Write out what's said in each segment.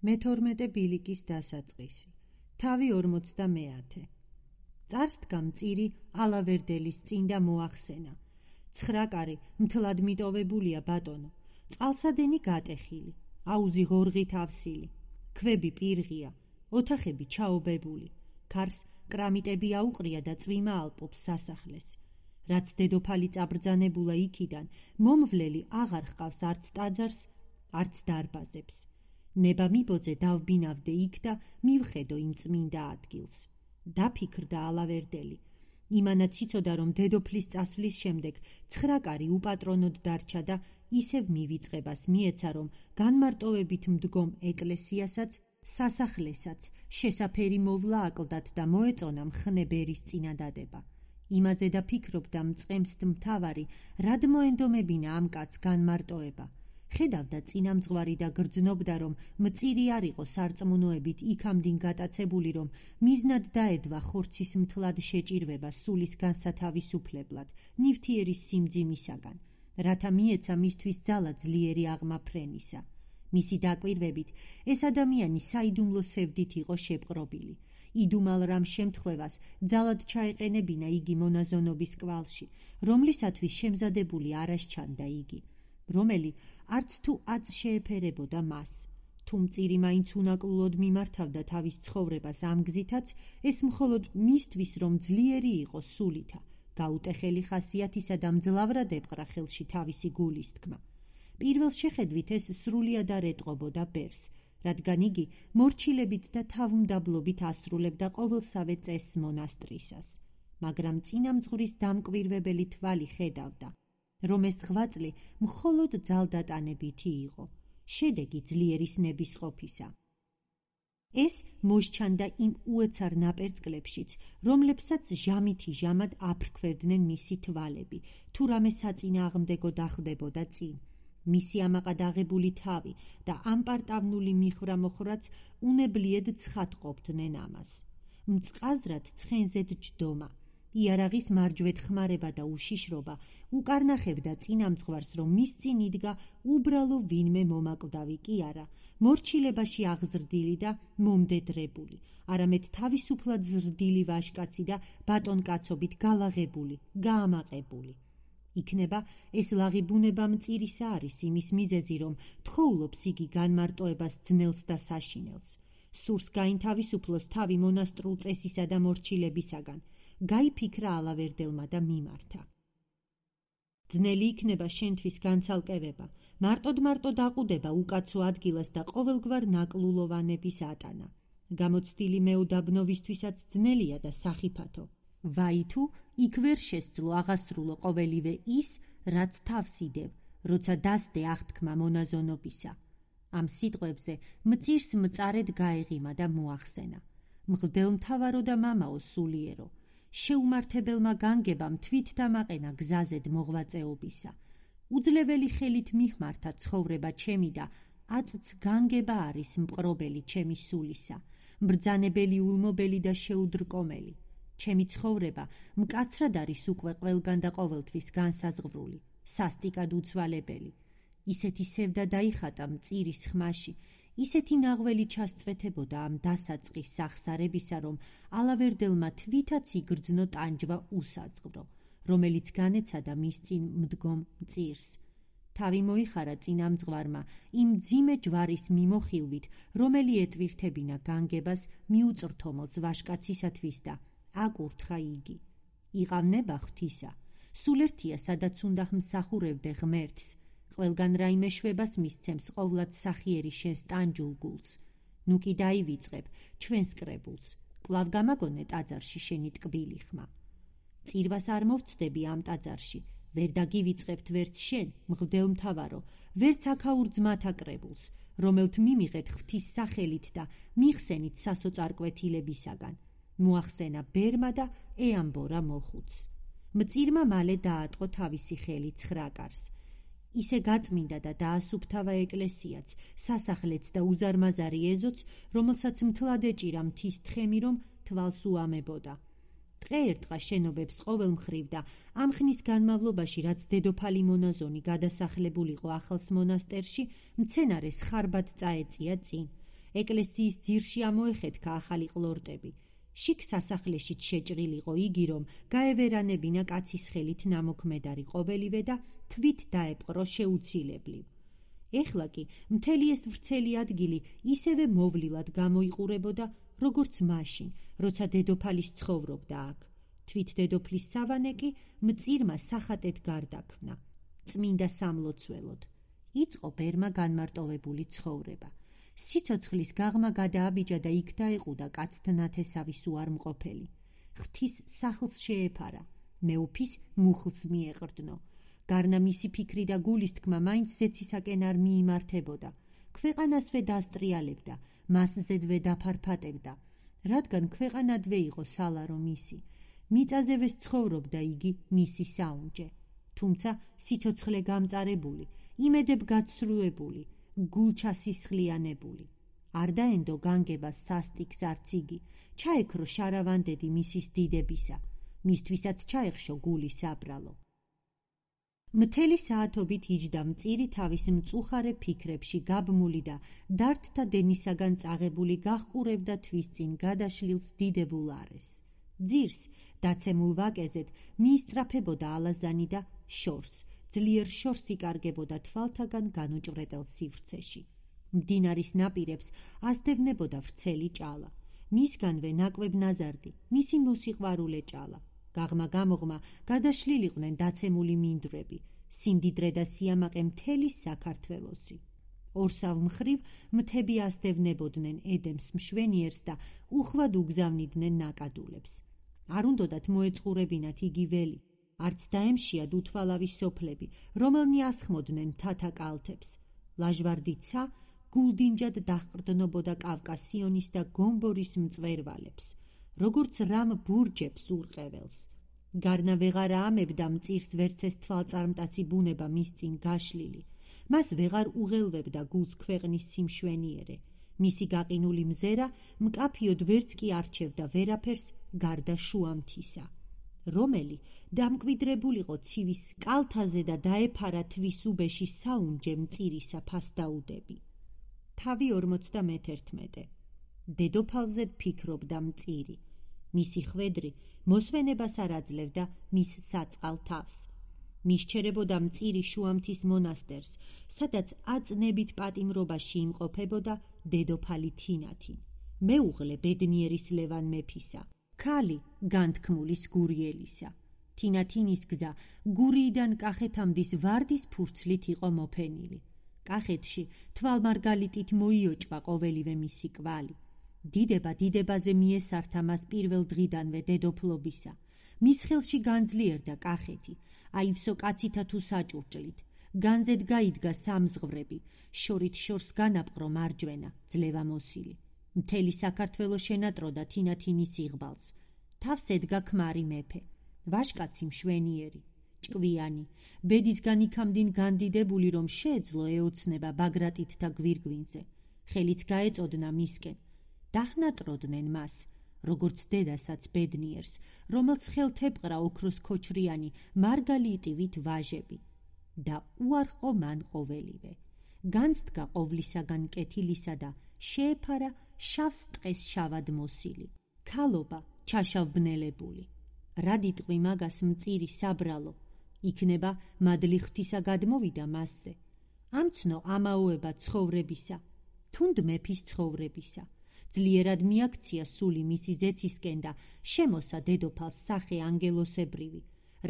მე-12 ბილიკის დასაწყისი. თავი 50. წარს დგა მწირი ალავერდელის წინ და მოახსენა. 9 კარი მთლად მიტოვებულია, ბატონო. წყალსადენი გატეხილი, აუზი ღორღით ავსილი, ქვები პირღია, ოთახები ჩაობებული, ქარს კრამიტები აუყრია და წვიმა ალპობს სასახლეს. რაც დედოფალი წაბრძანებულა იქიდან, მომვლელი აღარ ჰყავს არც ტაძარს, არც დარბაზებს. ნება მიბოძე დავბინავდე იქ და მივხედო იმ წმინდა ადგილს. დაფიქრდა ალავერდელი. იმანაც იცოდა, რომ დედოფლის წასვლის შემდეგ 9 კარი უპატრონოდ დარჩა და ისევ მივიწყებას მიეცა, რომ განმარტოვებით მდგომ ეკლესიასაც, სასახლესაც შესაფერი მოვლა აკლდათ და მოეწონა მხნებერის წინადადება. იმაზე დაფიქრობდა მწყემსთ მთავარი, რად მოენდომებინა ამ კაცს განმარტოება. ხედავდა წინამძღვარი და გრძნობდა, რომ მწირი არ იყო სარწმუნოებით იქამდინ გატაცებული, რომ მიზნად დაედვა ხორცის მთლად შეჭირვება სულის განსათავისუფლებლად, ნივთიერის სიმძიმისაგან, რათა მიეცა მისთვის ძალა ძლიერი აღმაფრენისა. მისი დაკვირვებით, ეს ადამიანი საიდუმლო სევდით იყო შეპყრობილი. იდუმალ რამ შემთხვევას ძალად ჩაეყენებინა იგი მონაზონობის კვალში, რომლისათვის შემზადებული არ ასჩანდა იგი, რომელი არც თუ აწ შეეფერებოდა მას. თუ მწირი მაინც უნაკლულოდ მიმართავდა თავის ცხოვრებას ამ გზითაც, ეს მხოლოდ მისთვის, რომ ძლიერი იყო სულითა, გაუტეხელი ხასიათისა და მძლავრად ეპყრა ხელში თავისი გულის თქმა. პირველ შეხედვით ეს სრულიად არ ეტყობოდა ბერს, რადგან იგი მორჩილებით და თავმდაბლობით ასრულებდა ყოველსავე წესს მონასტრისას. მაგრამ წინამძღვრის დამკვირვებელი თვალი ხედავდა, რომ ეს ღვაწლი მხოლოდ ძალდატანებითი იყო, შედეგი ძლიერის ნებისყოფისა. ეს მოსჩანდა იმ უეცარ ნაპერწკლებშიც, რომლებსაც ჟამითი ჟამად აფრქვევდნენ მისი თვალები, თუ რამე საწინააღმდეგო დახვდებოდა წინ. მისი ამაყად აღებული თავი და ამპარტავნული მიხრა-მოხრაც უნებლიედ ცხადყოფდნენ ამას. მწყაზრად ცხენზედ ჯდომა, იარაღის მარჯვედ ხმარება და უშიშრობა უკარნახებდა წინამძღვარს, რომ მის წინ იდგა უბრალო ვინმე მომაკვდავი კი არა, მორჩილებაში აღზრდილი და მომდედრებული, არამედ თავისუფლად ზრდილი ვაჟკაცი და ბატონკაცობით გალაღებული, გაამაყებული. იქნება ეს ლაღი ბუნება მწირისა არის იმის მიზეზი, რომ თხოვლობს იგი განმარტოებას ძნელს და საშინელს. სურს გაინთავისუფლოს თავი მონასტრულ წესისა და მორჩილებისაგან. გაიფიქრა ალავერდელმა და მიმართა. ძნელი იქნება შენთვის განცალკევება, მარტოდ აყუდება უკაცო ადგილას და ყოველგვარ ნაკლულოვანების ატანა. გამოცდილი მეუდაბნობისთვისაც ძნელია და სახიფათო. ვაი თუ იქ ვერ შესძლო აღასრულო ყოველივე ის, რაც თავს იდევ, როცა დასდე აღთქმა მონაზონობისა. ამ სიტყვებზე მწირს მწარედ გაეღიმა და მოახსენა. მღვდელმთავარო და მამაო სულიერო, შეუმართებელმა განგებამ თვით დამაყენა გზაზედ მოღვაწეობისა. უძლეველი ხელით მიხმართა ცხოვრება ჩემი და აწც განგება არის მყრობელი ჩემი სულისა, მბრძანებელი ულმობელი და შეუდრკომელი. ჩემი ცხოვრება მკაცრად არის უკვე ყველგან და ყოველთვის განსაზღვრული, სასტიკად უცვალებელი. ისეთი სევდა დაიხატა მწირის ხმაში, ისეთი ნაღველი ჩასწვეთებოდა ამ დასაწყის სახსარებისა, რომ ალავერდელმა თვითაც იგრძნო ტანჯვა უსაზღვრო, რომელიც განეცადა მის წინ მდგომ მწირს. თავი მოიხარა წინამძღვარმა იმ მძიმე ჯვარის მიმოხილვით, რომელი ეტვირთებინა განგებას მიუწრთომელს ვაჟკაცისათვის და აკურთხა იგი. იყავნება ღვთისა, სულ ერთია სადაც უნდა მსახურებდე ღმერთს, ყველგან რაიმე შვებას მისცემს ყოვლად სახიერი შენს ტანჯულ გულს. ნუ კი დაივიწყებ ჩვენს კრებულს, კვლავ გამაგონე ტაძარში შენი ტკბილი ხმა. წირვას არ მოვცდები ამ ტაძარში, ვერ დაგივიწყებთ ვერც შენ, მღვდელმთავარო, ვერც აქაურ ძმათა კრებულს, რომელთ მიმიღეთ ღვთის სახელით და მიხსენით სასოწარკვეთილებისაგან. მოახსენა ბერმა და ეამბორა მოხუც. მწირმა მალე დაატყო თავისი ხელი 9 კარს. ისე გაწმინდა და დაასუფთავა ეკლესიაც, სასახლეც და უზარმაზარი ეზოც, რომელსაც მთლად ეჭირა მთის თხემი, რომ თვალს უამებოდა. დღე ერტყა შენობებს ყოველ მხრივ და ამ ხნის განმავლობაში, რაც დედოფალი მონაზონი გადასახლებულიყო ახალს მონასტერში, მცენარეს ხარბად წაეწია წინ. ეკლესიის ძირში ამოეხეთქა ახალი ყლორტები. შიგ სასახლეშიც შეჭრილიყო იგი, რომ გაევერანებინა კაცის ხელით ნამოქმედარი ყოველივე და თვით დაეპყრო შეუცილებლივ. ეხლა კი მთელი ეს ვრცელი ადგილი ისევე მოვლილად გამოიყურებოდა, როგორც მაშინ, როცა დედოფალის ცხოვრობდა აქ. თვით დედოფლის სავანე კი მწირმა სახატეთ გარდაქმნა, წმინდა სამლოცველოდ. იწყო ბერმა განმარტოვებული ცხოვრება. სიცოცხლის გაღმა გადააბიჯა და იქ დაეყუდა კაცთა ნათესავის უარმყოფელი. ღვთის სახლს შეეფარა, მეუფის მუხლს მიეყრდნო. გარნა მისი ფიქრი და გულისთქმა მაინც ზეცისაკენ არ მიიმართებოდა. ქვეყანასვე დასტრიალებდა, მასზედვე დაფარფატებდა, რადგან ქვეყანადვე იყო სალარო მისი. მიწაზევე ცხოვრობდა იგი მისი საუნჯე. თუმცა სიცოცხლე გამწარებული, იმედებ გაცრუებული, გულჩასისხლიანებული. არ დაენდო განგებას სასტიკს არც იგი, ჩაექრო შარავანდედი მისის დიდებისა, მისთვისაც ჩაეხშო გული საბრალო. მთელი საათობით იჯდა მწირი თავის მწუხარე ფიქრებში გაბმული და დართთა დენისაგან წაღებული გაჰყურებდა თვის წინ გადაშლილს დიდებულ არეს. ძირს, დაცემულ ვაკეზეთ, მიისწრაფებოდა ალაზანი და შორს, ძლიერ შორს იკარგებოდა თვალთაგან განუჭვრეტელ სივრცეში. მდინარის ნაპირებს ასდევნებოდა ვრცელი ჭალა. მისგანვე ნაკვებ ნაზარდი, მისი მოსიყვარულე ჭალა. გაღმა-გამოღმა გადაშლილიყვნენ დაცემული მინდვრები, სიმდიდრე და სიამაყე მთელი საქართველოსი. ორსავ მხრივ მთები ასდევნებოდნენ ედემს მშვენიერს და უხვად უგზავნიდნენ ნაკადულებს. არ უნდოდათ მოეწყურებინათ იგი ველი, არც დაემშიად უთვალავი სოფლები, რომელნი ასხმოდნენ მთათა კალთებს. ლაჟვარდი ცა გულდინჯად დაჰყრდნობოდა კავკასიონის და გომბორის მწვერვალებს, როგორც რამ ბურჯებს ურყეველს. გარნა ვეღარა ამებდა მწირს ვერცეს თვალწარმტაცი ბუნება მის წინ გაშლილი. მას ვეღარ უღელვებდა გულს ქვეყნის სიმშვენიერე. მისი გაყინული მზერა მკაფიოდ ვერც კი არჩევდა ვერაფერს გარდა შუამთისა. რომელი დამკვიდრებულიყო ცივის კალთაზე და დაეფარა თვის უბეში საუნჯე მწირისა ფასდაუდები. თავი 51. დედოფალზე ფიქრობდა მწირი. მისი ხვედრი მოსვენებას არ აძლევდა მის საწყალ თავს. მისჩერებოდა მწირი შუამთის მონასტერს, სადაც აწნებით პატიმრობაში იმყოფებოდა დედოფალი თინათი, მეუღლე ბედნიერის ლევან მეფისა, ქალი განთქმულის გურიელისა. თინათინის გზა გურიიდან კახეთამდის ვარდის ფურცლით იყო მოფენილი. კახეთში თვალმარგალიტით მოიოჭვა ყოველივე მისი კვალი. დიდება დიდებაზე მიესართა მას პირველ დღიდანვე დედოფლობისა. მის ხელში განძლიერდა კახეთი, აივსო კაცითა თუ საჭურჭლით. განზედ გაიდგა სამზღვრები, შორით შორს განაპყრო მარჯვენა, ძლევა მოსილი. მთელი საქართველო შენატროდა თინათინის იღბალს. თავს ედგა ქმარი მეფე, ვაჟკაცი მშვენიერი, ჭკვიანი, ბედისგან იქამდინ განდიდებული, რომ შეეძლო ეოცნება ბაგრატით და გვირგვინზე. ხელიც გაეწოდნა მისკენ. დაჰნატროდნენ მას, როგორც დედასაც ბედნიერს, რომელს ხელთ ეპყრა ოქროს ქოჩრიანი მარგალიტივით ვაჟები. და უარყო მან ყოველივე. განსდგა ყოვლისაგან კეთილისა და შეეფარა შავს ტყეს შავად მოსილი. ქალობა ჩაშავბნელებული. რად იტყვი მაგას მწირი საბრალო, იქნება მადლი ღვთისა გადმოვიდა მასზე. ამცნო ამაოება ცხოვრებისა, თუნდ მეფის ცხოვრებისა. ძლიერად მიაქცია სული მისი ზეცისკენ და შემოსა დედოფალს სახე ანგელოსებრივი,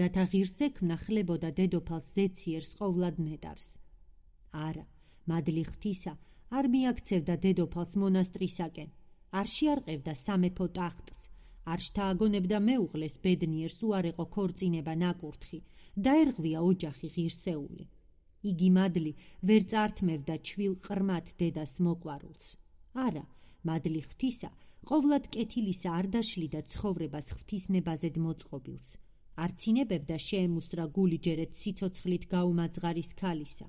რათა ღირს ექმნა ხლებოდა დედოფალს ზეციერს ყოვლად ნეტარს. არა, მადლი ღვთისა არ მიაქცევდა დედოფალს მონასტრისაკენ, არ შეარყევდა სამეფო ტახტს, არ შთააგონებდა მეუღლეს ბედნიერს უარეყო ქორწინება ნაკურთხი, დაერღვია ოჯახი ღირსეული. იგი მადლი ვერ წართმევდა ჩვილ ყრმად დედას მოყვარულს. არა, მადლი ღვთისა ყოვლად კეთილისა არ დაშლიდა ცხოვრებას ღვთისნებაზედ მოწყობილს. არ ცინებებდა შეემუსრა გული ჯერეთ სიცოცხლით გაუმაძღარის ქალისა.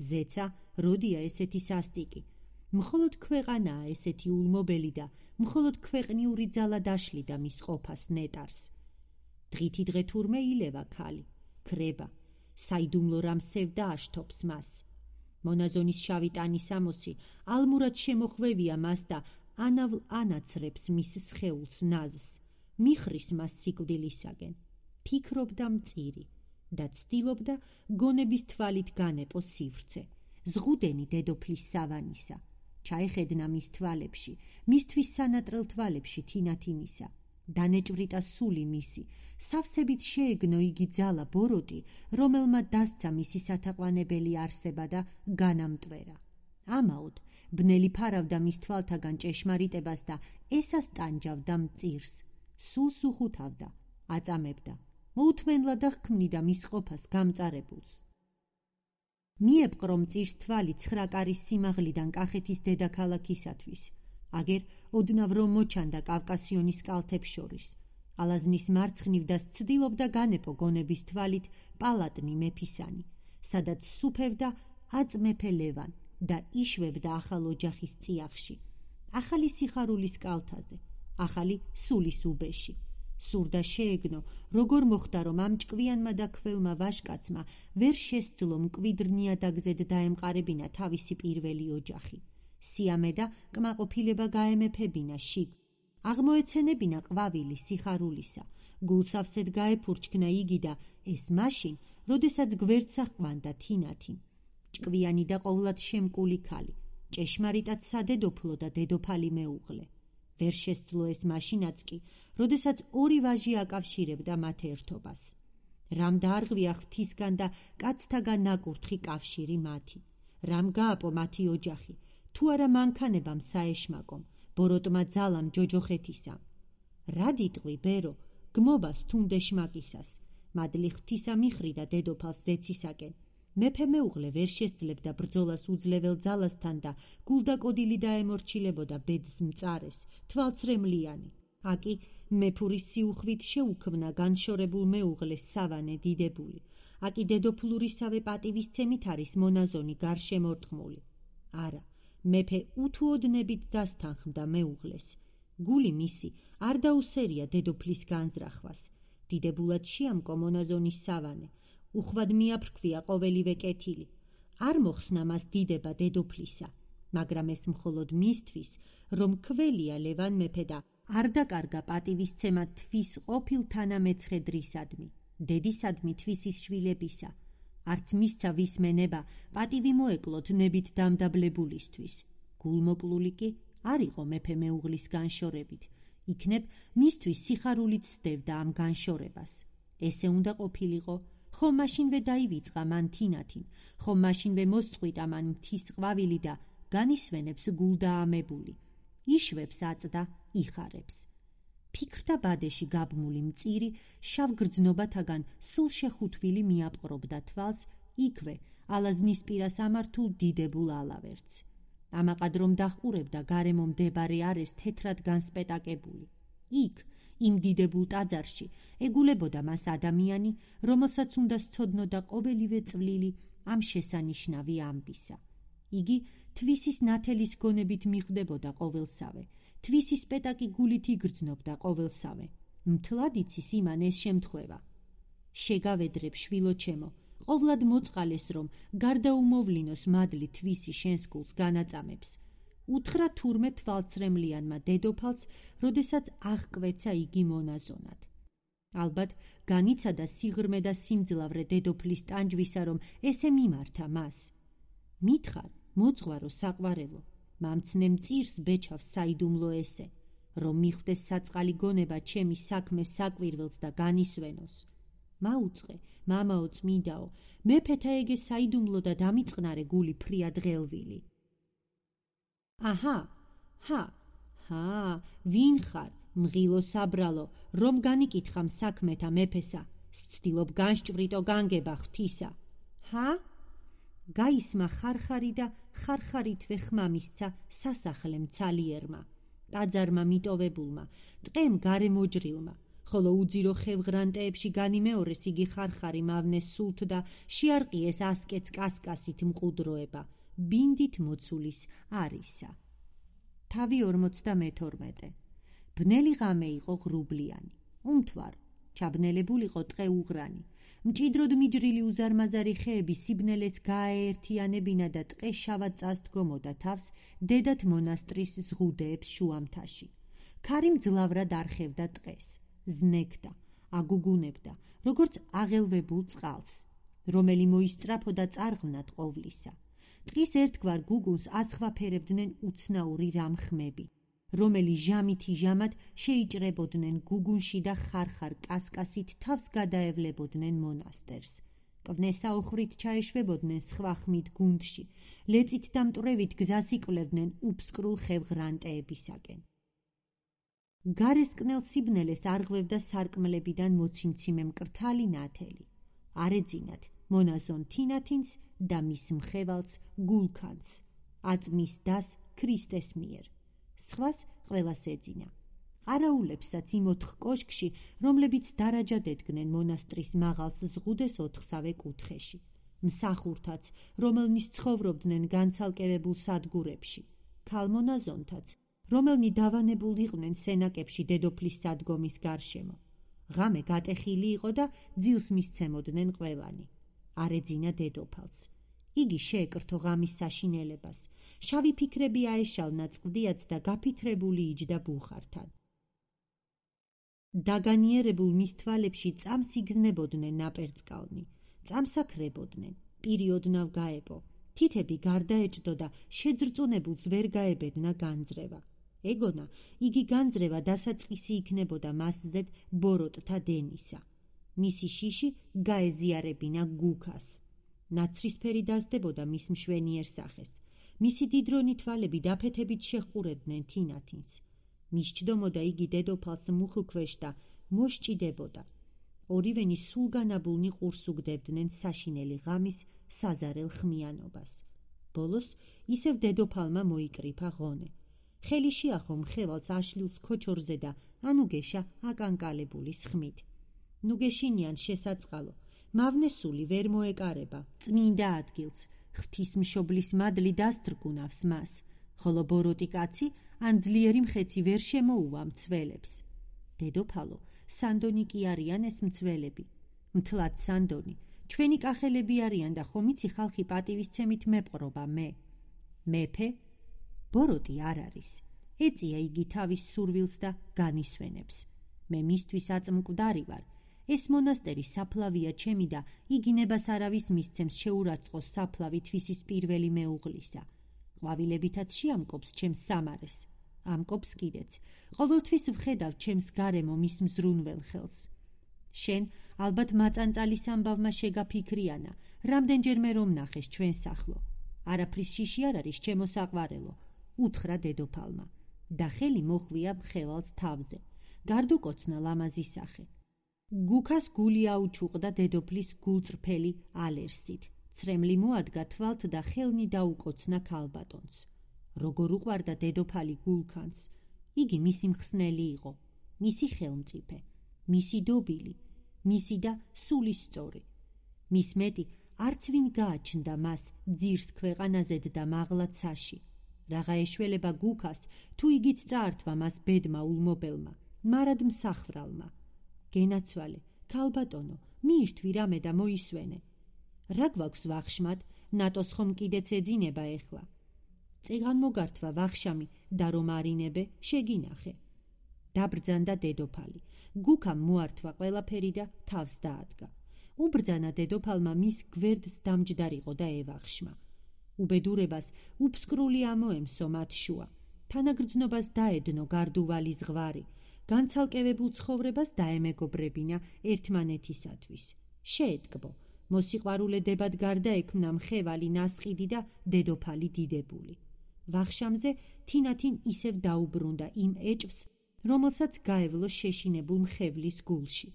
ზეცა როდია ესეთი სასტიკი, მხოლოდ ქვეყანაა ესეთი ულმობელი და მხოლოდ ქვეყნიური ძალა დაშლიდა მის ყოფას ნეტარს. დღითი დღე თურმე ილევა ქალი, ქრება, საიდუმლო რამ სევდა აშთობს მას. მონაზონის შავი ტანისამოსი ალმურად შემოხვევია მას და ანავლ ანაცრებს მის სხეულს ნაზს, მიხრის მას სიკვდილისაგენ. ფიქრობდა მწირი და ცდილობდა გონების თვალით განეპო სივრცე, ზღუდენი დედოფლის სავანისა. ჩაეხედნა მის თვალებში, მისთვის სანატრელ თვალებში თინათინისა. დანეჭვრიტა სული მისი, სავსებით შეეგნო იგი ძალა ბოროტი, რომელმა დასცა მისი სათაყვანებელი არსება და განამტვერა. ამაოდ ბნელი ფარავდა მის თვალთაგან ჭეშმარიტებას და ესას ტანჯავდა მწირს, სულს უხუთავდა, აწამებდა, მოუთმენლად ჰქმნიდა მის ყოფას გამწარებულს. მიეპყრო მწირს თვალი 9 კარის სიმაღლიდან კახეთის დედაქალაქისათვის, აგერ ოდნავ რომ მოჩანდა კავკასიონის კალთებს შორის. ალაზნის მარცხნივ და ცდილობდა განეპო გონების თვალით პალატნი მეფისანი, სადაც სუფევდა აწ მეფე ლევან და იშვებდა ახალ ოჯახის წიაღში, ახალი სიხარულის კალთაზე, ახალი სულის უბეში. სურდა შეეგნო, როგორ მოხდა, რომ ამ ჭკვიანმა და ქველმა ვაჟკაცმა ვერ შესძლო მკვიდრ ნიადაგზედ დაემყარებინა თავისი პირველი ოჯახი. სიამე და კმაყოფილება გაემეფებინა შიგ. აღმოეცენებინა ყვავილი სიხარულისა, გულსავსედ გაეფურჩქნა იგი და ეს მაშინ, როდესაც გვერდს ახვანდა თინათინ. ჭკვიანი და ყოვლად შემკული ქალი, ჭეშმარიტად სადედოფლო და დედოფალი მეუღლე. ვერ შესძლო ეს მაშინაც კი, როდესაც ორი ვაჟი აკავშირებდა მათ ერთობას. რამ დაარღვია ღვთისგან და კაცთაგან ნაკურთხი კავშირი მათი, რამ გააპო მათი ოჯახი, თუ არა მანქანებამ საეშმაკომ, ბოროტმა ძალამ ჯოჯოხეთისამ. რა დიტყვი ბერო, გმობას თუნდე შმაკისას, მადლი ღვთისა მიხრიდა დედოფალს ზეცისაკენ. მეფე მეუღლე ვერ შესძლებდა ბრძოლას უძლეველ ძალასთან და გულდაკოდილი დაემორჩილებოდა ბედს მწარეს, თვალცრემლიანი. აკი მეფურის სიუხვით შეუქმნა განშორებულ მეუღლეს სავანე დიდებული. აკი დედოფლურისავე პატივისცემით არის მონაზონი გარშემორტყმული. არა, მეფე უთუოდნებით დასთანხმდა მეუღლეს. გული მისი არ დაუსერია დედოფლის განზრახვას. დიდებულად შეამკო მონაზონის სავანე, უხვად მიაფრქვია ყოველივე კეთილი. არ მოხსნა მას დიდება დედოფლისა, მაგრამ ეს მხოლოდ მისთვის, რომ ქველია ლევან მეფე და არ დაკარგა პატივისცემა თვის ყოფილ თანამეცხედრისადმი, დედისადმი თვისის შვილებისა. არც მისცა ვისმენება, პატივი მოეკლოთ ნებით დამდაბლებულისთვის. გულმოკლული კი არ იყო მეფე მეუღლის განშორებით, იქნებ მისთვის სიხარულით სდევდა ამ განშორებას. ესე უნდა ყოფილიყო, ხომ მაშინვე დაივიწყა მან თინათინ, ხომ მაშინვე მოსწყვიტა მან მთის ყვავილი და განისვენებს გულდაამებული, იშვებს აწდა, იხარებს. ფიქრთა ბადეში გაბმული მწირი შავგრძნობათაგან სულ შეხუთვილი მიაპყრობდა თვალს იქვე, ალაზნის პირას ამართულ დიდებულ ალავერდს. ამაყად რომ დაჰყურებდა გარემო მდებარე არეს თეთრად განსპეტაკებული. იქ, იმ დიდებულ ტაძარში, ეგულებოდა მას ადამიანი, რომელსაც უნდა სცოდნოდა ყოველივე წვლილი ამ შესანიშნავი ამბისა. იგი თვისის ნათელის გონებით მიხვდებოდა ყოველსავე, თვისის პეტაკი გულით იგრძნობდა ყოველსავე. მთლად იცის იმან ეს შემთხვევა. შეგავედრებ შვილო ჩემო, ყოვლად მოწყალეს რომ გარდაუმოვლინოს მადლი თვისი შენს გულს განაწამებს. უთხრა თურმე თვალცრემლიანმა დედოფალს, როდესაც აღკვეცა იგი მონაზონად. ალბათ განიცადა სიღრმე და სიმძლავრე დედოფლის ტანჯვისა, რომ ესე მიმართა მას. მითხარ, მოძღვარო საყვარელო, მამცნე მწირს ბეჩავს საიდუმლო ესე, რომ მიხვდეს საწყალი გონება ჩემი საქმეს საკვირველს და განისვენოს. მაუწყე, მამაო წმინდაო, მეფეთა ეგე საიდუმლო და დამიწყნარე გული ფრია დღელვილი. ვინ ხარ, მღილო საბრალო, რომ განიკითხამ საქმეთა მეფესა, სცდილობ განსჭვრიტო განგება ღვთისა. გაისმა ხარხარი და ხარხარითვე ხმა მისცა სასახლემ ცალიერმა, ტაძარმა მიტოვებულმა, ტყემ გარემოჯრილმა, ხოლო უძირო ხევღრანტეებში განიმეორეს იგი ხარხარი მავნეს სულთ და შეარყიეს ასკეთს კასკასით მყუდროება, ბინდით მოცულის არისა. თავი 42. ბნელი ღამე იყო ღრუბლიანი, უმთვარო, ჩაბნელებულიყო ტყე უღრანი, მჭიდროდ მიჯრილი უზარმაზარი ხეები სიბნელეს გააერთიანებინა და ტყე შავად წასდგომოდა თავს დედათ მონასტრის ზღუდეებს შუამთაში. ქარი მძლავრად არხევდა ტყეს, ზნექდა, აგუგუნებდა, როგორც აღელვებულ წყალს, რომელი მოისწრაფოდა წარღვნად ყოვლისა. ტყის ერთგვარ გუგუნს ასხვაფერებდნენ უცნაური რამხმები, რომელი ჟამითი ჟამად შეიჭრებოდნენ გუგუნში და ხარხარ კასკასით თავს გადაევლებოდნენ მონასტერს. კვნესაუხრით ჩაეშვებოდნენ სხვა ხმით გუნდში, ლეწით და მტვრევით გზას იკვლევდნენ უფსკრულ ხევღრანტეებისაკენ. გარესკნელ სიბნელეს არღვევდა სარკმლებიდან მოციმციმე მკრთალი ნათელი. არეძინათ მონაზონ თინათინს და მის მხევალს გულქანს, აწმის დას ქრისტეს მიერ. სხვას ყველას ეძინა. ყარაულებსაც იმ 4 კოშკში, რომლებიც დარაჯად ედგნენ მონასტრის მაღალს ზღუდეს 4-სავე კუთხეში. მსახურთაც, რომელნიც ცხოვრობდნენ განცალკევებულ სადგურებში, ქალმონაზონთაც, რომელნი დავანებულ იყვნენ სენაკებში დედოფლის სადგომის გარშემო. ღამე გატეხილი იყო და ძილს მისცემოდნენ ყველანი. არეძინა დედოფალს. იგი შეეკრთო ღამის საშინელებას. შავი ფიქრები აეშალნა წყდიაც და გაფიქრებული იჯდა ბუხართან. დაგანიერებულ მის თვალებში წამს იგზნებოდნენ ნაპერწკალნი, წამსაქრებოდნენ, პირი ოდნავ გაეპო, თითები გარდაეჭდო და შეძრწუნებულს ვერ გაებედნა განძრევა. ეგონა, იგი განძრევა დასაწყისი იქნებოდა მასზედ ბოროტთა დენისა. მისი შიში გაეზიარებინა გუქას. ნაცრისფერი დასდებოდა მის მშვენიერ სახეს. მისი დიდრონი თვალები დაფეთებით შეჰყურებდნენ თინათინს. მისჯდომოდა იგი დედოფალს მუხლქვეშ და მოსჭიდებოდა. ორივენი სულგანაბულნი ყურს უგდებდნენ საშინელი ღამის საზარელ ხმიანობას. ბოლოს ისევ დედოფალმა მოიკრიფა ღონე. ხელი შეახო მხევალს აშლილს ქოჩორზე და ანუგეშა აკანკალებულის ხმით. ნუგეშინიან შესაწყალო, მავნესული ვერ მოეკარება წმინდა ადგილს, ღვთისმშობლის მადლი დასტრგუნავს მას, ხოლო ბოროტი კაცი ან ძლიერი მხეცი ვერ შემოუვა მცველებს. დედოფალო, სანდონი კი არიან ეს მცველები. მთლად სანდონი, ჩვენი კახელები არიან და ხომ იცი ხალხი პატივისცემით მეპყრობა მე. მეფე? ბოროტი არ არის. ეწია იგი თავის სურვილს და განისვენებს. მე მისთვის აწმკვდარი ვარ. ეს მონასტერი საფლავია ჩემი და იგინებას არავის მისცემს შეურაცხყოს საფლავი თვისის პირველი მეუღლისა. ყვავილებითაც შეამკობს ჩემს სამარეს. ამკობს კიდეც. ყოველთვის ვხედავ ჩემს გარემო მის მზრუნველ ხელს. შენ ალბათ მაწანწალის ამბავმა შეგაფიქრიანა, რამდენჯერმე რომ ნახეს ჩვენს ახლო. არაფრის შიში არ არის ჩემო საყვარელო, უთხრა დედოფალმა. და ხელი მოხვია მხევალს თავზე. გარდუკოცნა ლამაზი სახე. გუქას გული აუჩუყდა დედოფლის გულწრფელი ალერსით. ცრემლი მოადგა თვალთ და ხელნი დაუკოცნა ქალბატონს. როგორ უყვარდა დედოფალი გულქანს. იგი მისი მხსნელი იყო, მისი ხელმწიფე, მისი დობილი, მისი და სულისწორი. მის მეტი არც ვინ გააჩნდა მას ძირს ქვეყანაზედ და მაღლა ცაში. რაღა ეშველება გუქას, თუ იგიც წაართვა მას ბედმა ულმობელმა, მარად მსახრალმა. გენაცვალე, ქალბატონო, მიირთვი რამე და მოისვენე. რა გვაქვს ვახშმად, ნატოს ხომ კიდეც ეძინება ეხლა. წეგან მოგართვა ვახშამი და რომ არინებე, შეგინახე. დაბრძანდა დედოფალი. გუქამ მოართვა ყველაფერი და თავს დაადგა. უბრძანა დედოფალმა მის გვერდს დამჯდარიყო და ევახშმა. უბედურებას უფსკრული ამოემსო მათ შუა. თანაგრძნობას დაედნო გარდუვალი ზღვარი. განცალკევებულ ცხოვრებას დაემეგობრებინა ერთმანეთისათვის. შეეტკბო. მოსიყვარულედებად გარდაექმნა მხევალი ნასყიდი და დედოფალი დიდებული. ვახშამზე თინათინ ისევ დაუბრუნდა იმ ეჭვს, რომელსაც გაევლო შეშინებულ მხევლის გულში.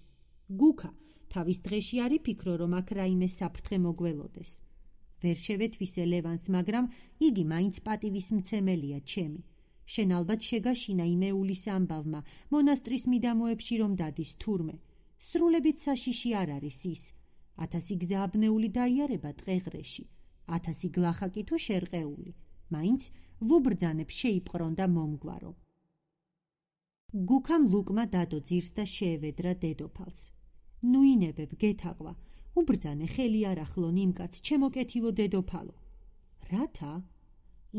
გუქა, თავის დღეში არ იფიქრო, რომ აქ რაიმე საფრთხე მოგველოდეს. ვერ შევეთვისე ლევანს, მაგრამ იგი მაინც პატივის მცემელია ჩემი. შენ ალბათ შეგაშინა იმეულის ამბავმა, მონასტრის მიდამოებში რომ დადის თურმე. სრულებით საშიში არ არის ის. 1000 გზა აბნეული დაიარება ტყეღრეში, 1000 გლახაკი თუ შერყეული. მაინც ვუბრძანებ შეიპყრონ და მომგვარო. გუქამ ლუკმა დადო ძირს და შეევედრა დედოფალს. ნუ ინებებ, გეთაყვა, უბრძანე ხელი არ ახლონ იმ კაცს, ჩემოკეთილო დედოფალო. რათა?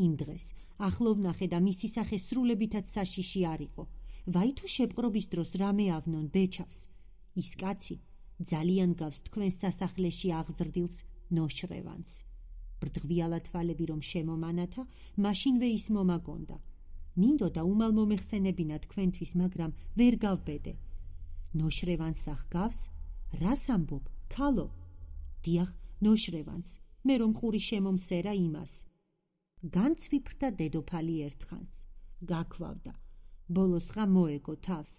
იმ დღეს ახლოვნახე და მისი სახე სრულებითაც საშიში არ იყო. ვაი თუ შეპყრობის დროს რამე ავნონ ბეჩავს. ის კაცი ძალიან გავს თქვენს სასახლეში აღზრდილს ნოშრევანს. ბრდღვიალა თვალები რომ შემომანათა, მაშინვე ის მომაგონდა. მინდოდა უმალ მომეხსენებინა თქვენთვის, მაგრამ ვერ გავბედე. ნოშრევანს ახგავს? რას ამბობ, ქალო? დიახ, ნოშრევანს, მე რომ ყური შემომსერა იმას. განცვიფრდა დედოფალი ერთხანს. გაქვავდა. ბოლოს ხა მოეგო თავს.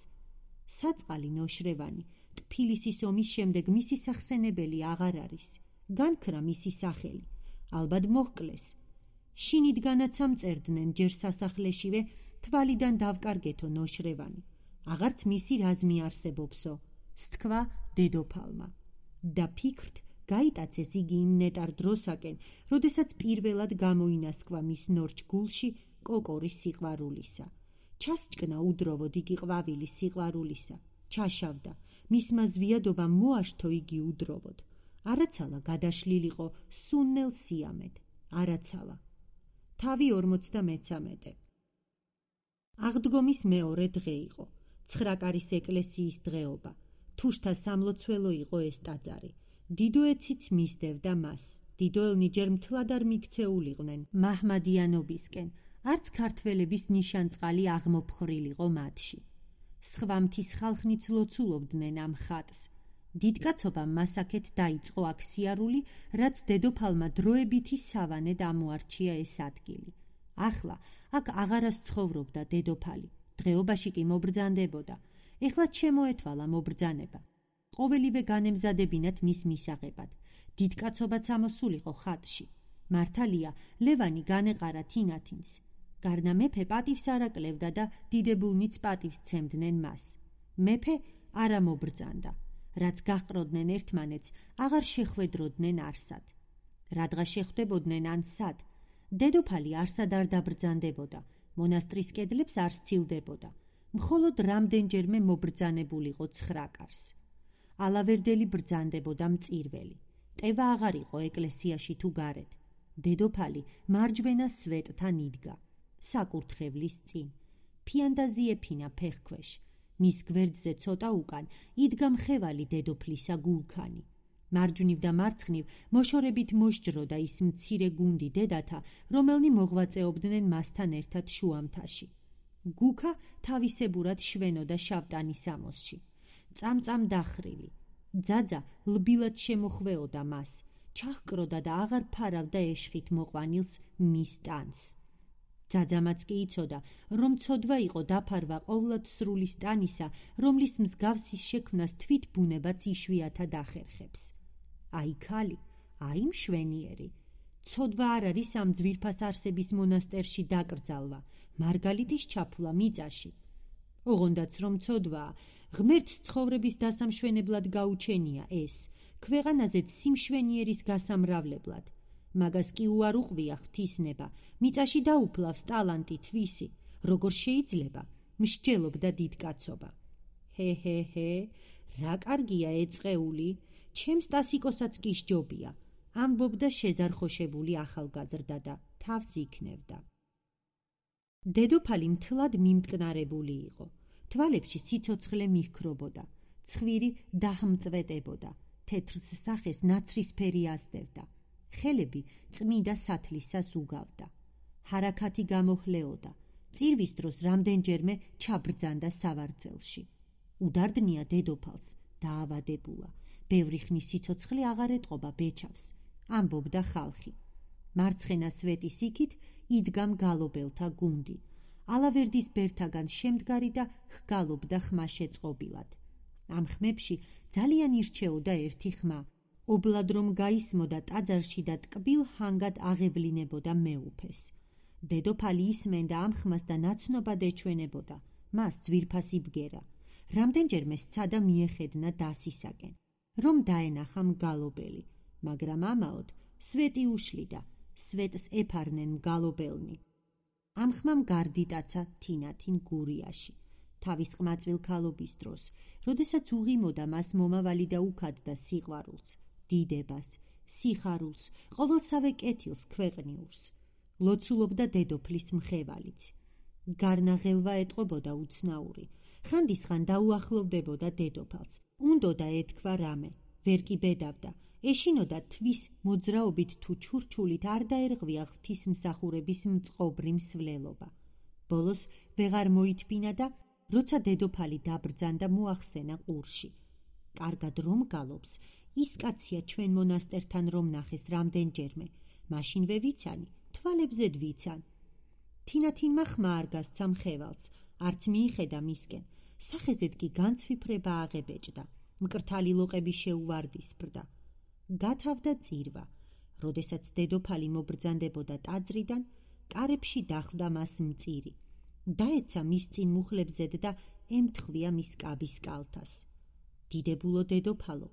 საწყალი ნოშრევანი ტფილისის ომის შემდეგ მისი სახსენებელი აღარ არის. განქრა მისი სახელი. ალბათ მოჰკლეს. შინიდგანაც ამწერდნენ ჯერ სასახლეშივე, თვალიდან დავკარგეთო ნოშრევანი. აღარც მისი რაზმი არსებობსო, სთქვა დედოფალმა. და ფიქრთ, გაიტაცეს იგი იმ ნეტარ დროსაკენ, როდესაც პირველად გამოინასკვა მის ნორჩ გულში კოკორის სიყვარულისა. ჩასჭკნა უდროვოდ იგი ყვავილი სიყვარულისა. ჩაშავდა, მისმა ზვიადობამ მოაშთო იგი უდროვოდ. არაცალა გადაშლილიყო სუნნელ სიამედ. არაცალა. თავი 43. აღდგომის მეორე დღე იყო. ცხრაკარის ეკლესიის დღეობა. თუშთა სამლოცველო იყო ეს ტაძარი. დიდოეციც მისდევდა მას. დიდოელნი ჯერ მთლად არ მიქცეულიყვნენ მაჰმადიანობისკენ, არც ქართველების ნიშანწყალი აღმოფხრილიყო მათში. სხვა მთის ხალხნიც ლოცულობდნენ ამ ხატს. დიდკაცობამ მასაკეთ დაიწყო აქ სიარული, რაც დედოფალმა დროებითი სავანედ ამოარჩია ეს ადგილი. ახლა აქ აღარას ცხოვრობდა დედოფალი. დღეობაში კი მობრძანდებოდა. ეხლა შემოეთვალა მობრძანება. ყოველივე განემზადებინათ მის მისაღებად. დიდკაცობაც ამოსულიყო ხატში. მართალია, ლევანი განეყარა თინათინს. გარნა მეფე პატივს არ აკლევდა და დიდებულნიც პატივს ცემდნენ მას. მეფე არა მობრძანდა. რაც გაჰყროდნენ ერთმანეთს, აღარ შეხვედროდნენ არსად. რადგან შეხვდებოდნენ ან სად, დედოფალი არსად არ დაბრძანდებოდა, მონასტრის კედლებს არ სცილდებოდა. მხოლოდ რამდენჯერმე მობრძანებულიყო ცხრაკარს. ალავერდელი ბრძანდებოდა მწირველი. ტევა აღარ იყო ეკლესიაში თუ გარეთ. დედოფალი მარჯვენა სვეტთან იდგა, საკურთხევლის წინ. ფიანდაზი ეფინა ფეხქვეშ. მის გვერდზე ცოტა უკან იდგა მხევალი დედოფლისა გულქანი. მარჯვნივ და მარცხნივ მოშორებით მოსჯროდა ის მცირე გუნდი დედათა, რომელნი მოღვაწეობდნენ მასთან ერთად შუამთაში. გუქა თავისებურად შვენოდა შავტანის ამოსში. წამწამ დახრილი. ძაძა ლბილად შემოხვეოდა მას, ჩაჰკროდა და აღარ ფარავდა ეშხით მოყვანილს მის ტანს. ძაძამაც კი იცოდა, რომ ცოდვა იყო დაფარვა ყოვლად სრული სტანისა, რომლის მსგავსის შექმნას თვით ბუნებაც იშვიათად ახერხებს. აი ქალი, აი მშვენიერი. ცოდვა არ არის ამ ძვირფას არსების მონასტერში დაკრძალვა, მარგალიტის ჩაფულა მიწაში. ოღონდაც რომ ცოდვაა, ღმერთს ცხოვრების დასამშვენებლად გაუჩენია ეს, ქვეყანაზეც სიმშვენიერის გასამრავლებლად. მაგას კი უარ უყვია ღვთისნება, მიწაში დაუფლავს ტალანტი თვისი, როგორ შეიძლება, მსჯელობდა დიდკაცობა. ჰე, რა კარგია ეწყეული, ჩემს ტასიკოსაც კი სჯობია, ამბობდა შეზარხოშებული ახალგაზრდა და თავს იქნევდა. დედოფალი მთლად მიმტკნარებული იყო. თვალებში სიცოცხლე მიჰქრობოდა, ცხვირი დაჰმწვეტებოდა, თეთრს სახეს ნაცრისფერი ასდევდა. ხელები წმიდა სათლისას უგავდა. ჰარაქათი გამოჰლეოდა. წირვის დროს რამდენჯერმე ჩაბრძანდა სავარძელში. უდარდნია დედოფალს, დაავადებულა. ბევრი ხნის სიცოცხლე აღარ ეტყობა ბეჩავს, ამბობდა ხალხი. მარცხენა სვეტის იქით იდგა მგალობელთა გუნდი. ალავერდის ბერთაგან შემდგარი და ჰგალობდა ხმაშეწყობილად. ამ ხმებში ძალიან ირჩეოდა ერთი ხმა. ობლად რომ გაისმოდა ტაძარში და ტკბილ ჰანგად აღევლინებოდა მეუფეს. დედოფალი ისმენდა ამ ხმას და ნაცნობად ეჩვენებოდა, მას ძვირფასი ბგერა. რამდენჯერმე სცადა მიეხედნა დასისაკენ, რომ დაენახა მგალობელი, მაგრამ ამაოდ სვეტი უშლიდა, სვეტს ეფარნენ მგალობელნი. ამ ხმამ გარდიტაცა თინათინ გურიაში. თავის ყმაწვილ ქალობის დროს, როდესაც უღიმოდა მას მომავალი და უქადდა სიყვარულს, დიდებას, სიხარულს, ყოველსავე კეთილს ქვეყნიურს. ლოცულობდა დედოფლის მხევალიც. გარნაღელვა ეტყობოდა უცნაური. ხანდისხან დაუახლოვდებოდა დედოფალს. უნდოდა ეთქვა რამე, ვერ კი ბედავდა. ეშინოდა თვის მოძრაობით თუ ჩურჩულით არ დაერღვია ღვთისმსახურების მწყობრი მსვლელობა. ბოლოს ვეღარ მოითბინა და როცა დედოფალი დაბრძანდა მოახსენა ყურში. კარგად რომ გალობს, ის კაცია ჩვენ მონასტერთან რომ ნახეს რამდენჯერმე, მაშინვე ვიცანი, თვალებზე დვიცან. თინათინმა ხმა არ გასცა მხევალს, არც მიიხედა მისკენ, სახეზედ კი განცვიფრება აღებეჭდა, მკრთალი ლოყები შეუვარდისფრდა. გათავდა წირვა. როდესაც დედოფალი მობრძანდებოდა ტაძრიდან, კარებში დახვდა მას მწირი. დაეცა მის წინ მუხლებზედ და ემთხვია მის კაბის კალთას. დიდებულო დედოფალო,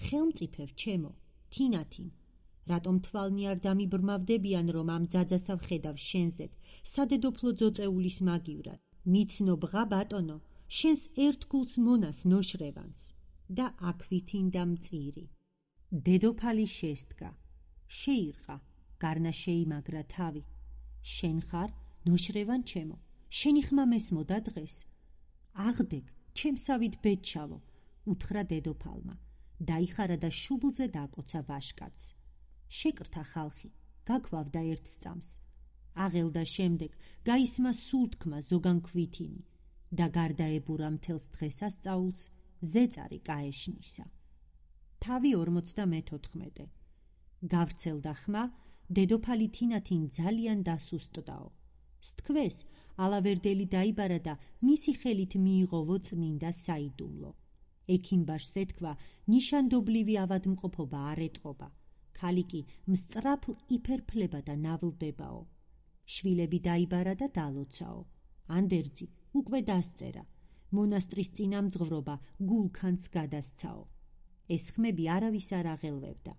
ხელმწიფევ ჩემო, თინათინ, რატომ თვალნი არ დამიბრმავდებიან, რომ ამ ძაძასა ვხედავ შენზედ, სადედოფლო ძოწეულის მაგივრად. მიცნობ ღა ბატონო, შენს ერთგულს მონას ნოშრევანს. და აქვითინდა მწირი. დედოფალი შესდგა, შეირყა, გარნა შეიმაგრა თავი. შენ ხარ, ნოშრევან ჩემო, შენი ხმა მესმოდა დღეს. აღდეგ, ჩემსავით ბედჩავო, უთხრა დედოფალმა. დაიხარა და შუბლზე დაკოცა ვაშკაცს. შეკრთა ხალხი, გაქვავდა ერთ სწამს. აღელდა შემდეგ, გაისმა სულ თქმა ზოგან ქვითინი და გარდაებურა მთელს დღესასწაულს ზეწარი კაეშნისა. თავი 54. გავრცელდა ხმა, დედოფალი თინათინ ძალიან დასუსტდაო. სთქვეს, ალავერდელი დაიბარა და მისი ხელით მიიღოვო წმინდა საიდუმლო. ექიმბაშს ეთქვა, ნიშანდობლივი ავადმყოფობა არ ეტყობა. ქალი კი მსწრაფლ იფერფლება და ნავლდებაო. შვილები დაიბარა და დალოცაო. ანდერძი უკვე დასწერა. მონასტრის წინამძღვრობა გულქანს გადასცაო. ეს ხმები არავის არ აღელვებდა.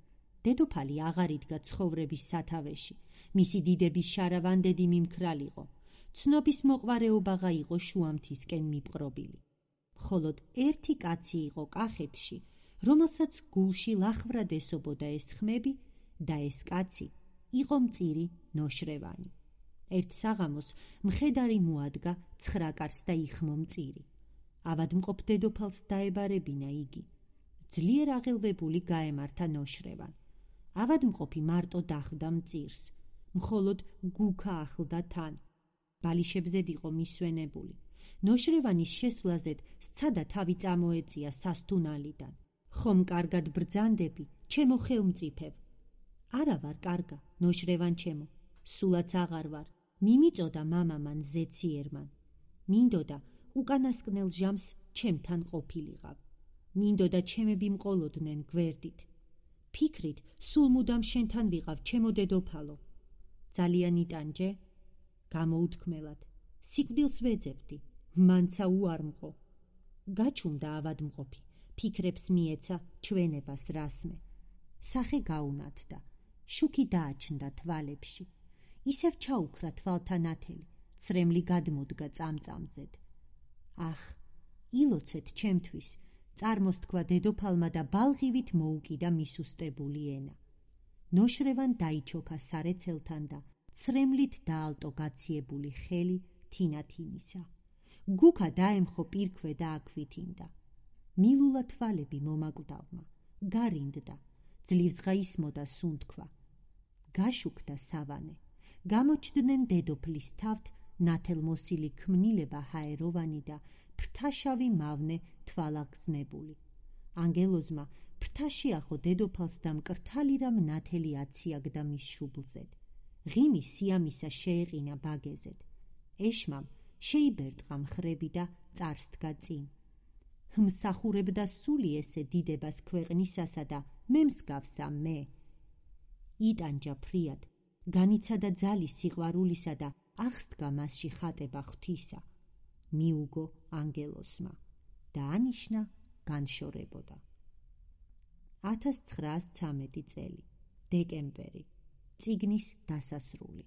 დედოფალი აღარ იდგა ცხოვრების სათავეში. მისი დიდების შარავანდედი მიმქრალიყო. ცნობის მოყვარეობაღა იყო შუამთისკენ მიპყრობილი. მხოლოდ ერთი კაცი იყო კახეთში, რომელსაც გულში ლახვრად ესობოდა ეს ხმები და ეს კაცი იყო მწირი ნოშრევანი. ერთ საღამოს მხედარი მოადგა 9 კარს და იხმო მწირი. ავადმყოფ დედოფალს დაებარებინა იგი. ძლიერ აღელვებული გაემართა ნოშრევან. ავადმყოფი მარტო დახვდა მწირს. მხოლოდ გუქა ახლდა თან. ბალიშებზედ იყო მისვენებული. ნოშრევანის შესვლაზედ სცადა თავი წამოეწია სასტუნალიდან. ხომ კარგად ბრძანდები, ჩემო ხელმწიფევ? არა ვარ კარგა, ნოშრევან ჩემო, სულაც აღარ ვარ. მიმიწოდა მამამან ზეციერმან. მინდოდა უკანასკნელ ჟამს ჩემთან ყოფილიყავ. მინდოდა ჩემები მყოლოდნენ გვერდით. ფიქრით, სულ მუდამ შენთან ვიყავ, ჩემო დედოფალო. ძალიან იტანჯე? გამოუთქმელად. სიკვდილს ვეძებდი, მანცა უარმყო. გაჩუმდა ავადმყოფი, ფიქრებს მიეცა ჩვენებას რასმე. სახე გაუნათდა, შუქი დააჩნდა თვალებში. ისევ ჩაუქრა თვალთა ნათელი, ცრემლი გადმოდგა წამწამზედ. ახ, ილოცეთ ჩემთვის, წარმოსთქვა დედოფალმა და ბალღივით მოუკიდა მისუსტებული ენა. ნოშრევან დაიჩოქა სარეცელთან და ცრემლით დაალტო გაციებული ხელი თინათინისა. გუქა დაემხო პირქვე და აქვითინდა. მილულა თვალები მომაკვდავმა, გარინდდა, ძლივსღა ისმოდა სუნთქვა. გაშუქდა სავანე. გამოჩდნენ დედოფლის თავთ ნათელმოსილი ქმნილება ჰაეროვანი და ფრთაშავი მავნე თვალაღზნებული. ანგელოზმა ფრთაშიახო დედოფალს და მკრთალი რამ ნათელი აციაგდა მის შუბლზედ. ღიმი სიამისა შეეყინა ბაგეზედ. ეშმამ შეიბერტყა მხრები და წარსდგა წინ. მსახურებდა სული ესე დიდებას ქვეყნისასა და მე მსგავსა მე. იტანჯა ფრიად, განიცადა ძალი სიყვარულისა და აღსდგა მასში ხატება ღვთისა. მიუგო ანგელოსმა და ანიშნა განშორებოდა. 1913 წელი, დეკემბერი, წიგნის დასასრული.